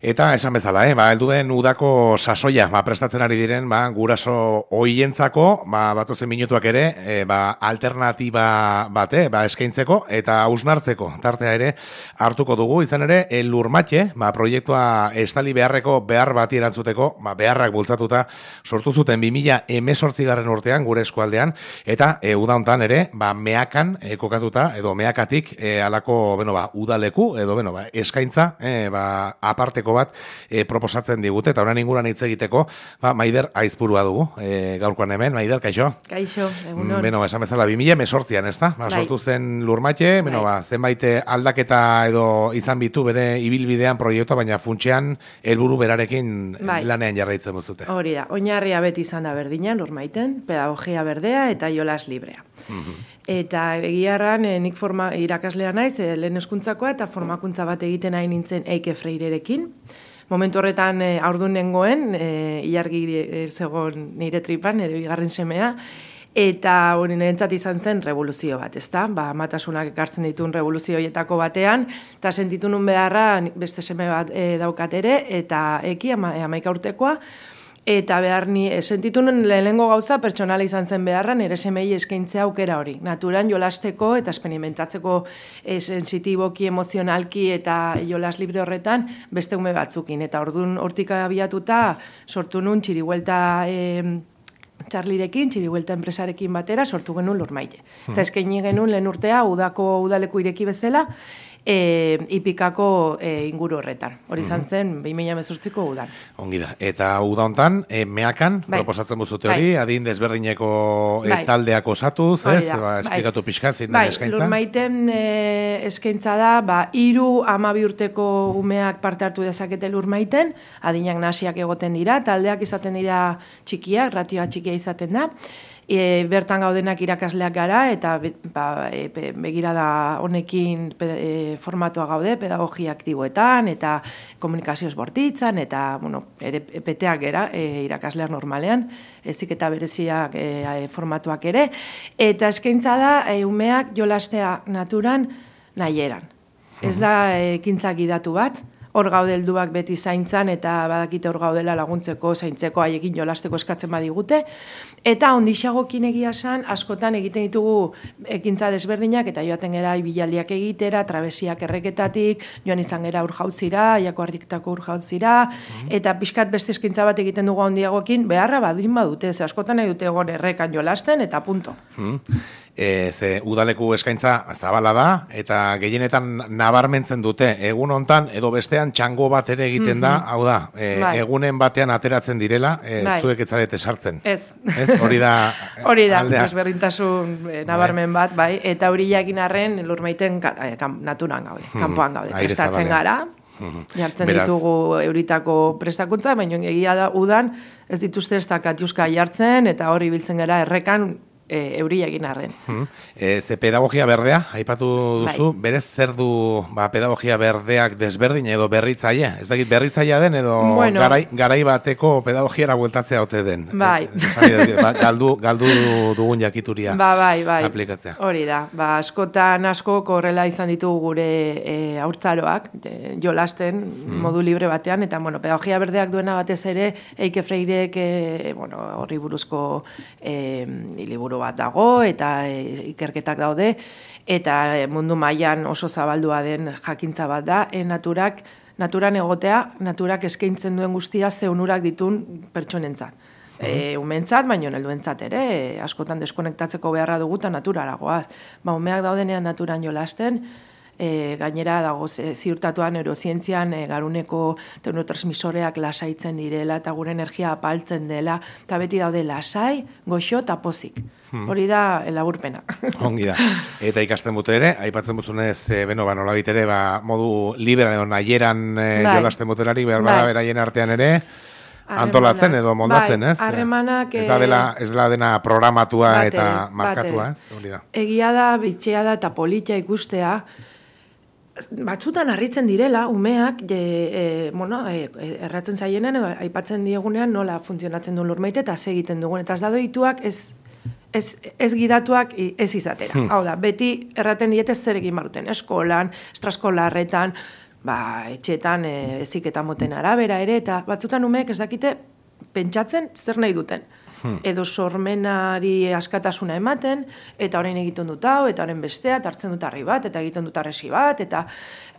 Eta esan bezala, helduen udako sasoia, prestatzen ari diren, guraso ohientzako, batozen minutuak ere, alternatiba bate, eskaintzeko eta hausnartzeko tartea ere hartuko dugu, izan ere, Lurmatxe, proiektua estali beharreko behar bati erantzuteko, beharrak bultzatuta sortu zuten 2018 urtean gure eskualdean, eta uda hontan ere, meakan kokatuta, edo meakatik alako, udaleku, edo eskaintza, aparteko bat proposatzen digute, eta horan inguran hitz egiteko, Maider Aizpurua dugu, gaurkoan hemen. Maider, kaixo? Kaixo, egunon. Esan bezala, 2018an, ez da? Sortu zen Lurmatxe, zenbait aldaketa edo izan bitu bere ibilbidean proiektua, baina funtsean helburu berarekin lanean jarraitzen duzute. Hori da, oinarria beti izan da berdina Lurmaiten, pedagogia berdea eta jolas librea. Eta egiarran nik irakaslea naiz, lehen hezkuntzakoa eta formakuntza bat egiten nahi nintzen Eike Freirerekin. Momentu horretan haurdun nengoen, ilargi zegoen nire tripan, nire bigarren semea, eta hori nirentzat izan zen revoluzio bat, ezta? Amatasunak ekartzen dituen revoluzio horietako batean, eta sentitu nun beharra beste seme bat daukat ere, eta Eki, 11 urtekoa, eta sentitu nun lehenengo gauza pertsonala izan zen beharra nire semei eskaintzea aukera hori. Naturan jolasteko eta experimentatzeko sensitiboki, emozionalki eta jolas libre horretan beste ume batzukin. Eta orduan hortik abiatuta sortu nun txiribuelta Txarlirekin, txiribuelta enpresarekin batera sortu genuen Lurmaite. Eta eskaini genuen lehen urtea udako udaleku ireki bezala, Ipikako inguru horretan. Hori izan zen 2018ko udan. Ongi da. Eta uda hontan, meakan, proposatzen buzute hori, adin desberdineko taldeak osatuz, esplikatu pixkat, zein den eskaintza? Lurmaiten eskaintza da, 3-12 urteko umeak parte hartu dezakete Lurmaiten, adinak nasiak egoten dira, taldeak izaten dira txikiak, ratioa txikia izaten da, bertan gaudenak irakasleak gara eta begirada honekin formatua gaude, pedagogia aktiboetan eta komunikazioz bortitzan eta ere peteak gara irakasleak normalean, ezik eta bereziak formatuak ere, eta eskaintza da umeak jolastea naturan nahieran. Ez da ekintzak gidatu bat, hor gaude helduak beti zaintzan eta badakite hor gaudela laguntzeko, zaintzeko, haiekin jolasteko eskatzen badigute. Eta ondixagokin egia esan, askotan egiten ditugu ekintza desberdinak eta joaten gara ibilaldiak egitera, trabesiak erreketatik, joan izan gara urjautzira, aiako ardiktako urjautzira, eta pixkat beste eskaintza bat egiten dugu handiagokin, beharra badin badute, ze askotan nahi dute egon errekan jolasten eta punto. Ze udaleku eskaintza zabala da, eta gehienetan nabarmentzen dute, egun hontan edo bestean txango bat ere egiten da, hau da, egunen batean ateratzen direla, zuek ez zarete sartzen. Ez. Hori da, desberdintasun nabarmen bat, bai, eta hori jakin arren Lurmaiten naturan gaude, kanpoan gaude, prestatzen gara, jartzen ditugu euritako prestakuntza, baina egia da udan ez dituzte ez da katiuska jartzen, eta hori biltzen gara errekan euria egin arren. Ze pedagogia berdea, aipatu duzu, berez zer du pedagogia berdeak desberdin edo berritzaia? Ez dakit berritzaia den edo garai bateko pedagogiara bueltatzea ote den? Bai. Galdu dugun jakituria aplikatzea. Hori da, askotan asko horrela izan ditugu gure haurtzaroak, jolasten modu libre batean, eta pedagogia berdeak duena batez ere, Eike Freirek horri buruzko liburu bat dago eta ikerketak daude eta mundu mailan oso zabaldua den jakintza bat da, naturan egotea, naturak eskaintzen duen guztia ze onurak ditun pertsonentzat. Umentzat, baino helduentzat ere, askotan deskonektatzeko beharra dugu eta naturara goaz. Umeak daudenean naturan jolasten, gainera dago ziurtatuan neurozientzian garuneko neurotransmisoreak lasaitzen direla eta gure energia apaltzen dela, eta beti daude lasai, goxo eta pozik. Hori da laburpena. Ongi da. Eta ikasten dute ere, aipatzen duzunez, nolabait ere, modu liberan edo nahieran jolasten butelari, behar beraien artean ere, antolatzen edo moldatzen, ez? Harremanak... Ez da dena programatua eta markatua, ez? Hori da. Egia da, bitxea da eta politia ikustea, batzutan harritzen direla, umeak, erratzen zaienen, aipatzen diegunean nola funtzionatzen duen Lurmaite eta ze egiten dugun. Eta ez da doituak ez gidatuak ez izatera. Hau da, beti erraten diete zer egin baruten, eskolan, estraskolarretan, etxeetan heziketa moten arabera ere, eta batzutan umeek ez dakite pentsatzen zer nahi duten. Edo sormenari askatasuna ematen, eta orain egiten dut hau, eta orain bestea, eta hartzen dut harri bat, eta egiten dut arresi bat, eta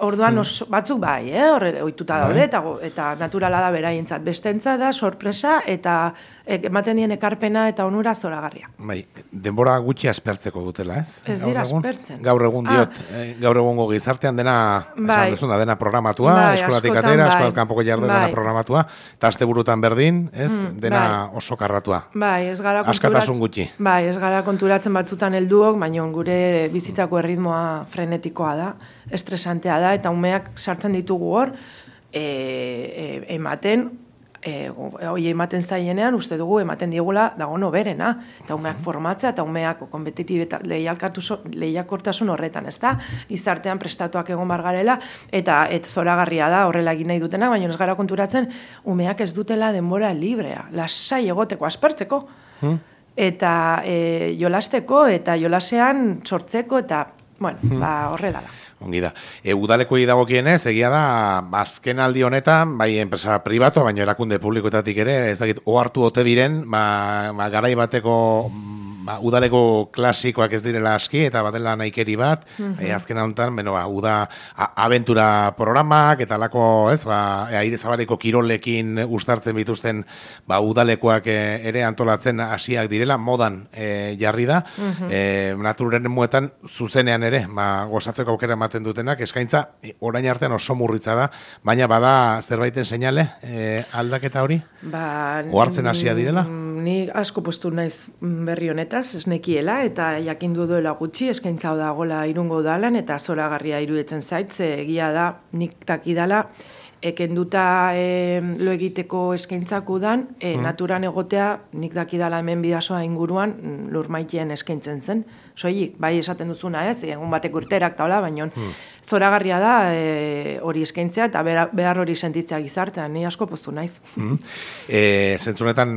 orduan batzuk bai, horre ohituta daude, eta naturala da beraientzat. Bestentza da sorpresa, eta ematen dien ekarpena eta onura zoragarria. Bai, denbora gutxi aspertzeko dutela, ez? Ez dira aspertzen. Gaur egun diot, gaur egungo gizartean dena, esan duzuna, dena programatua, eskolatik atera, eskolaz kanpoko jardu dena programatua, eta asteburutan berdin, ez? Dena oso karratua. Bai, ez gara askatasun gutxi. Bai, ez gara konturatzen batzutan helduok, baina gure bizitzako erritmoa frenetikoa da, estresantea da, eta umeak sartzen ditugu hor, ematen, hoi ematen zaienean, uste dugu ematen diegula dagoen berena, eta umeak formatzea, eta umeak kompetitibeta lehiakortasun horretan, ez da? Gizartean prestatuak egon bargarela, eta zoragarria da horrela egin nahi dutenak, baina ez gara konturatzen, umeak ez dutela denbora librea, lasai egoteko, aspertzeko, eta jolasteko, eta jolasean sortzeko, eta, bueno, horrela da. Ongi da. Udalekoi dagokienez, egia da, azken aldi honetan, bai enpresa pribatu, baina erakunde publikoetatik ere, ez dakit, ohartu ote diren, garai bateko udaleko klasikoak ez direla aski, eta batela nahikeri bat, azken honetan, uda abentura programak, eta lako, ez, aire zabareko kirolekin ustartzen bituzten udalekoak ere antolatzen hasiak direla, modan jarri da, naturen muetan zuzenean ere, gozatzeko aukera ematen dutenak, eskaintza orain artean oso murritza da, baina bada zerbaiten seinale aldaketa hori? Ohartzen hasia direla? Ni asko postu naiz berri honetaz, ez nekiela, eta jakindu duela gutxi, eskaintza dagoela Irungo udalan, eta zoragarria iruditzen zait, egia da, nik dakidala, ekenduta lo egiteko eskaintzak udan, naturan egotea, nik dakidala hemen Bidasoa inguruan, lurmaitien eskaintzen zen. Soilik, bai esaten duzuna ez, egun batek urterak taula, baina zoragarria da hori eskaintzea, eta behar hori sentitzea gizartean, ni asko postu naiz. Zentzunetan,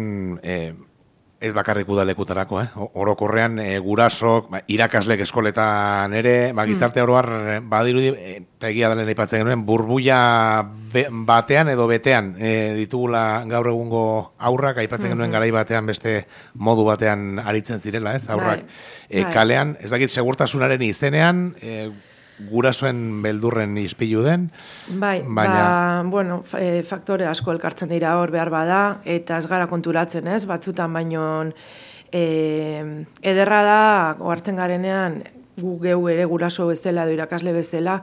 ez bakarrik udalekutarako, orokorrean gurasok, irakaslek eskoletan ere, gizarte oroar badirudi, eta egia dalen aipatzen genuen, burbuia batean edo betean ditugula gaur egungo aurrak, aipatzen genuen garai batean beste modu batean aritzen zirela, ez, aurrak kalean, ez dakit segurtasunaren izenean, gurasoen beldurren ispilu den. Baina... faktore asko elkartzen dira hor behar bada, eta ez gara konturatzen ez, batzutan baino ederra da, ohartzen garenean, gu geu ere guraso bezala, edo irakasle bezala,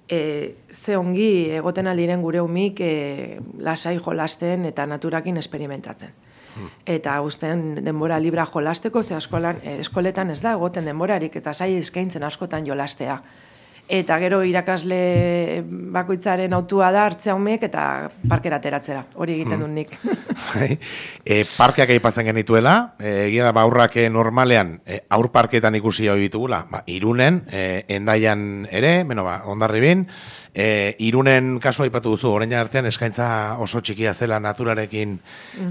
ze ongi egoten aldiren gure umik lasai jolasten eta naturakin experimentatzen. Eta guztien denbora libra jolasteko, ze eskoletan ez da egoten denborarik, eta sai eskaintzen askotan jolastea. Eta gero irakasle bakoitzaren autua da hartzea umeek eta parkera ateratzera. Hori egiten dut nik. Parkeak aipatzen genituela, egia da aurrak normalean aur parketan ikusi hori ditugula. Irunen, Hendaian ere, Hondarribin, Irunen kasu aipatu duzu, orain artean eskaintza oso txikia zela naturarekin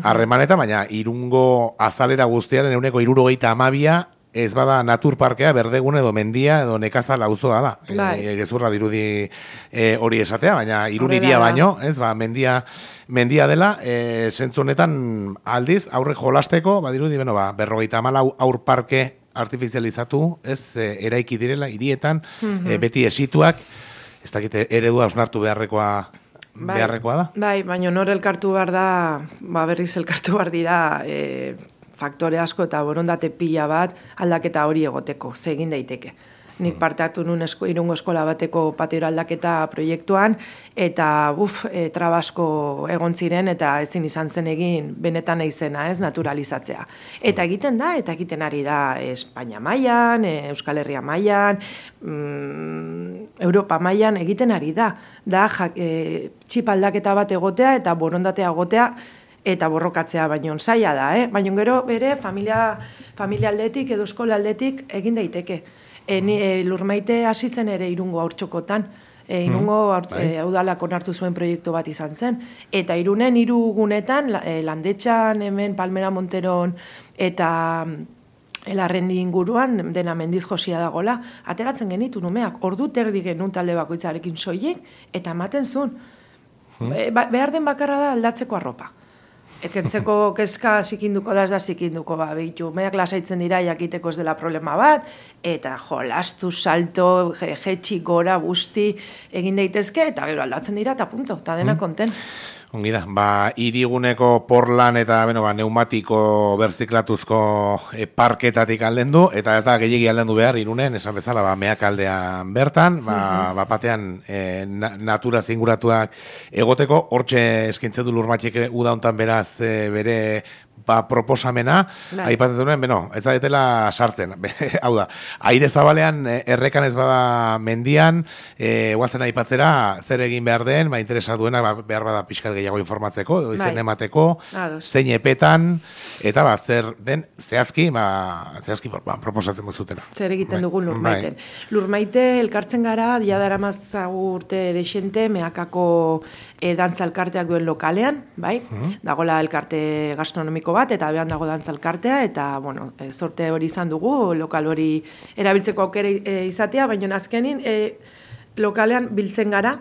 harremaneta, baina Irungo azalera guztiaren 72% ez bada naturparkea, berdegune edo mendia edo nekazal auzoa da. Gezurra dirudi hori esatea, baina Irun hiria baino, ez, mendia dela, zentzu honetan aldiz, aurrek jolasteko, badirudi, 54 aur parke artifizializatu, ez, eraiki direla, hirietan, beti esituak, ez dakite, eredua osnartu beharrekoa da? Bai, baina nor elkartu behar da, berriz elkartu behar dira, faktore asko eta borondate pila bat aldaketa hori egoteko, ze egin daiteke. Nik parte hartu nun Irungo eskola bateko patiora aldaketa proiektuan, eta trabasko egon ziren, eta ezin izan zen egin benetan izena, ez, naturalizatzea. Eta egiten da, eta egiten ari da Espainia mailan, Euskal Herria mailan, Europa mailan egiten ari da. Da, txip aldaketa bat egotea, eta borondatea egotea, eta borrokatzea baino zaila da, baino gero bere familia aldetik edo eskola aldetik egin daiteke. Lurmaite hasi zen ere Irungo haurtxokotan, Irungo udalak onartu zuen proiektu bat izan zen, eta Irunen 3 gunetan, Landetxan, hemen Palmera Monteron, eta Elarrendi inguruan, dena mendiz josia dagola, ateratzen genitu numeak, ordu terdi genuen talde bakoitzarekin soilik, eta ematen zuen. Behar den bakarra da aldatzeko arropa. Ekentzeko kezka zikinduko da, ez da zikinduko, behitu, meak lasaitzen dira jakiteko ez dela problema bat, eta lastu, salto, jetxi, gora, busti, egin daitezke, eta gero aldatzen dira, eta punto, eta dena konten. Ongi da, hiriguneko porlan eta neumatiko berziklatuzko parketatik aldendu, eta ez da gehiegi aldendu behar irunen, esan bezala, meak aldean bertan, batean natura zinguratuak egoteko, hortxe eskintzen du Lurmatxek uda hontan beraz bere proposamena, aipatzen duen, ez zaretela sartzen. Hau da, aire zabalean errekan ez bada mendian, guazen aipatzera, zer egin behar den, interesa duena, behar bada pixkat gehiago informatzeko, izen emateko, zein epetan, eta zer den zehazki proposatzen zutena. Zer egiten dugun Lurmaiten. Lurmaite elkartzen gara, dia dara mazagu urte desente, meakako dantza elkarteak duen lokalean, bai? Dagola elkarte gastronomiko bat, eta behan dago dantza elkartea, eta, sorte hori izan dugu, lokal hori erabiltzeko aukera izatea, baina azkenin lokalean biltzen gara,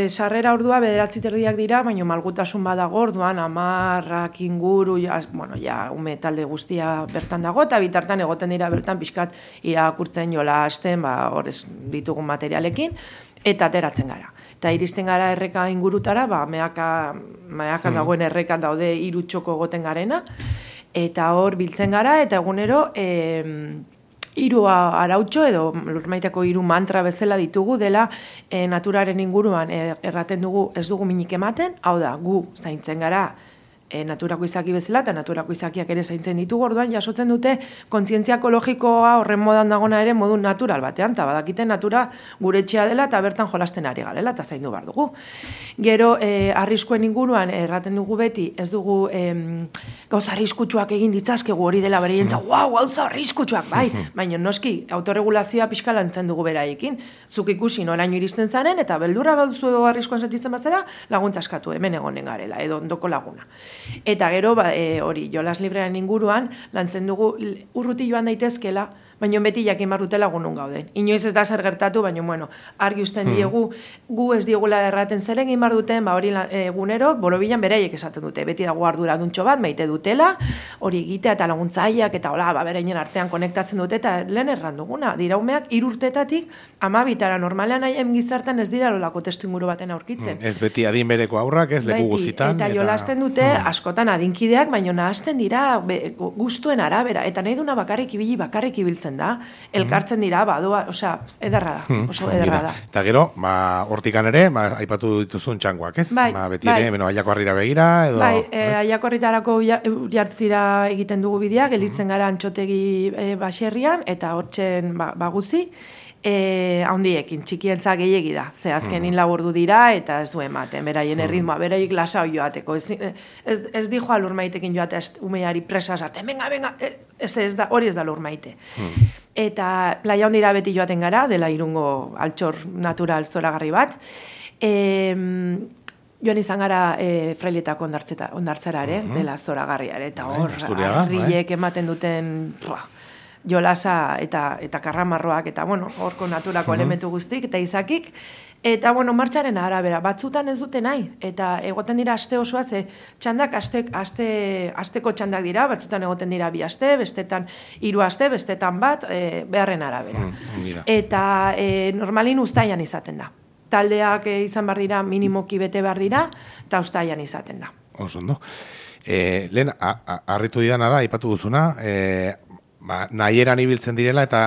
sarrera ordua 9:30 dira, baina malgutasun badago orduan 10 inguru, ume talde guztia bertan dago, eta bitartan egoten dira bertan pixkat irakurtzen jolasten, hor ez ditugun materialekin, eta ateratzen gara. Eta iristen gara erreka ingurutara, meakan dagoen errekan daude 3 txoko egoten garena, eta hor biltzen gara, eta egunero 3 arautxo edo Lurmaiteko 3 mantra bezala ditugu dela naturaren inguruan erraten dugu ez dugu minik ematen, hau da, gu zaintzen gara naturako izaki bezala, eta naturako izakiak ere zaintzen ditugu, orduan jasotzen dute kontzientzia ekologikoa horren modan dagona ere modu natural batean, eta badakite natura gure etxea dela, eta bertan jolasten ari garela, eta zaindu behar dugu. Gero, arriskuen inguruan erraten dugu beti, ez dugu gauza arriskutsuak egin ditzazkegu hori dela bereientza, gauza arriskutsuak, bai, baina noski, autorregulazioa pixka lantzen dugu beraiekin, zuk ikusi noraino iristen zaren, eta beldurra baduzu arriskoan sentitzen bazera, laguntza eskatu hemen egonen garela, edo ondoko laguna. Eta gero, hori, jolas librearen inguruan, lantzen dugu urruti joan daitezkela, baina beti jakin barrutela gunun gauden. Inoiz ez da zer gertatu, baina, argi usten diegu, gu ez diegula erraten zer egin bar duten, hori egunero, borobilan beraiek esaten dute, beti dago arduraduntxo bat, maite dutela, hori egitea eta laguntzaileak, eta berainen artean konektatzen dute, eta lehen erranduguna, dira umeak 3 urtetatik, 12 normalean haien gizartan ez dira lolako testu inguru baten aurkitzen. Ez beti adin bereko aurrak, ez leku guzitan. Eta jolasten dute, askotan adinkideak, baina nahazten dira gustuen arabera, eta nahi duna bakarrik ibiltzen da, elkartzen dira, osea, ederra da, oso ederra da. Eta gero, hortikan ere, aipatu dituzun txangoak, ez? Beti ere, aiako harrira begira, edo... Bai, aiako harritarako jartzira egiten dugu bidea, gelditzen gara Antxotegi baserrian, eta hortzen baguzi, handiekin, txikientza gehiegi da, ze azkenin laburdu dira, eta ez du ematen, beraien erritmoa, beraik lasau joateko, ez di joa Lurmaitekin joate umeari presa esarte, venga, hori ez da Lurmaite. Eta playa handira beti joaten gara, dela Irungo altxor natural zoragarri bat, joan izan gara Frailetako ondartzara ere, dela zoragarriare, eta hor, harriek ematen duten... jolasa eta karramarroak, eta, horko naturako elementu guztik, eta izakik, eta, martxaren arabera, batzutan ez dute nahi, eta egoten dira aste osoa, ze txandak asteko txandak dira, batzutan egoten dira 2 aste, bestetan 3 aste, bestetan bat, beharren arabera. Eta normalin uztailan izaten da. Taldeak izan behar dira, minimoki bete behar dira, eta uztailan izaten da. Osondo. Lehen, harritu didana da, ipatu duzuna, nahieran ibiltzen direla eta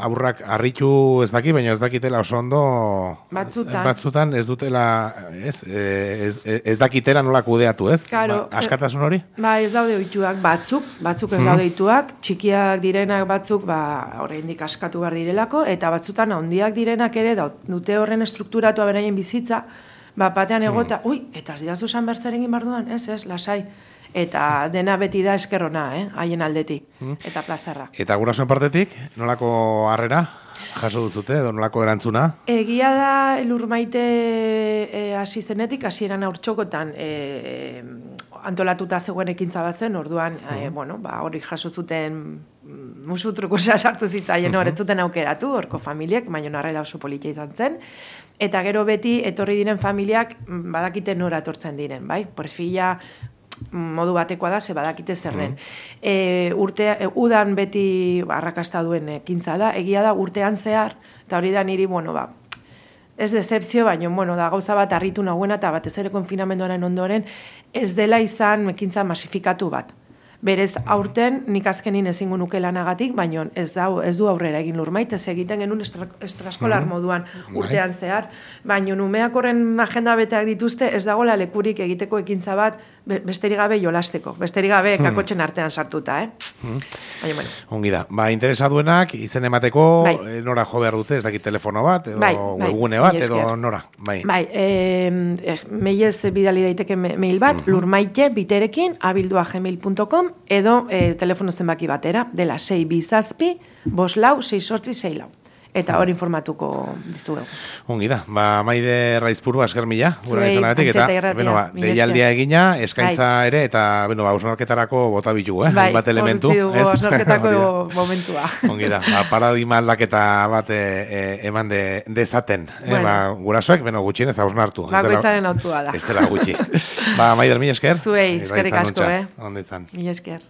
aurrak harritu ez daki, baina ez dakitela oso ondo batzutan ez dutela ez dakitela nola kudeatu, ez? Askatasun hori? Ez daude ohituak batzuk ez daude ohituak, txikiak direnak batzuk oraindik askatu behar direlako, eta batzutan handiak direnak ere dute horren estrukturatua beraien bizitza, batean egota, eta ez didazu esan bertzaren egin barduan, ez, lasai. Eta dena beti da eskerrona, haien aldetik, eta plazarra. Eta gurasoen partetik, nolako harrera jaso duzute, edo nolako erantzuna? Egia da Lurmaite hasi zenetik, hasieran haurtxokotan antolatuta zegoen ekintza bat zen, orduan, hori jaso zuten musu trukosa sartu zitzaien, ez zuten aukeratu, horko familiek, baina narrela oso politia izan zen, eta gero beti etorri diren familiak badakite nora etortzen diren, bai? Perfila modu batekoa da, ze badakite zer den. Udan beti arrakasta duen ekintza da, egia da urtean zehar, eta hori da niri, ez decepzio, baina, da gauza bat harritu nagoena, eta batez ere konfinamenduaren ondoren, ez dela izan ekintza masifikatu bat. Berez, aurten nik azkenin ezingo nuke lanagatik, baina ez du aurrera egin Lurmait, ez egiten genuen estraskolar moduan urtean zehar, baina umeak horren agenda beteak dituzte, ez dagoela lekurik egiteko ekintza bat besterik gabe jolasteko, besterik gabe kakotxen artean sartuta, Baina, bueno. Ongi da, interesaduenak izen emateko nora jo behar dute, ez dakit telefono bat, edo webgune bat, edo nora? Mailez bidali daiteke mail bat, lurmaite.biterekin@gmail.com edo telefono zenbaki batera, dela 627-546-6 eta hori informatuko dizugu. Ongi da, Maide Raizpuru, esker mila, gura izanagatik, eta deialdia egina, eskaintza ere, eta hausnarketarako bota bitugu, bat elementu. Hausnarketako momentua. Ongi da, paradigma aldaketa bat eman dezaten. Gurasoek, gutxien ez hausnartu. Bakoitzaren autua da. Ez dela gutxi. Maider, mila esker. Zuei, eskerrik asko, Ondo izan. Mila esker.